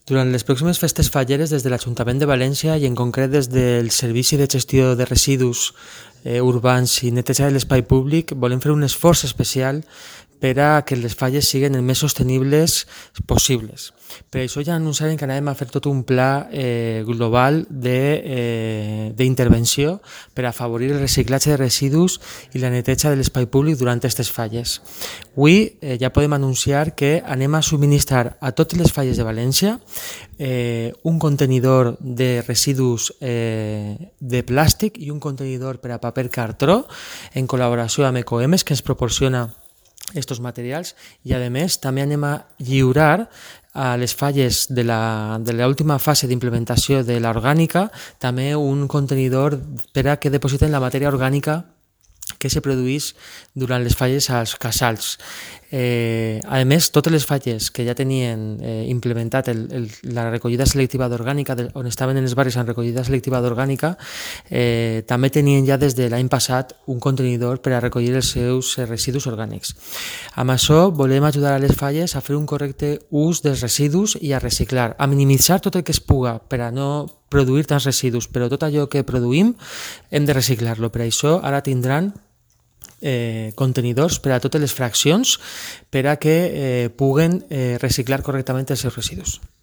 Durant les pròximes festes falleres, des de l'Ajuntament de València i en concret des del Servici de Gestió de Residus Urbans i Neteja de l'Espai Públic, volem fer un esforç especial per a que les falles siguin el més sostenibles possibles. Per això ja anunciarem que anàvem a fer tot un pla global d'intervenció per afavorir el reciclatge de residus i la neteja de l'espai públic durant aquestes falles. Avui ja podem anunciar que anem a subministrar a totes les falles de València un contenidor de residus de plàstic i un contenidor per a paper cartró en col·laboració amb Ecoemes, que ens proporciona estos materials, i a més també anem a lliurar a les falles de l'última fase d'implementació de l'orgànica també un contenidor per a que depositen la matèria orgànica que se produeix durant les falles als casals. A més, totes les falles que ja tenien implementat la recollida selectiva d'orgànica, on estaven en els barris en recollida selectiva d'orgànica, també tenien ja des de l'any passat un contenidor per a recollir els seus residus orgànics. Amb això volem ajudar a les falles a fer un correcte ús dels residus i a reciclar, a minimitzar tot el que es puga per a no produir tants residus, però tot allò que produïm hem de reciclar-lo. Per això ara tindran contenidors per a totes les fraccions per a que puguen reciclar correctament els seus residus.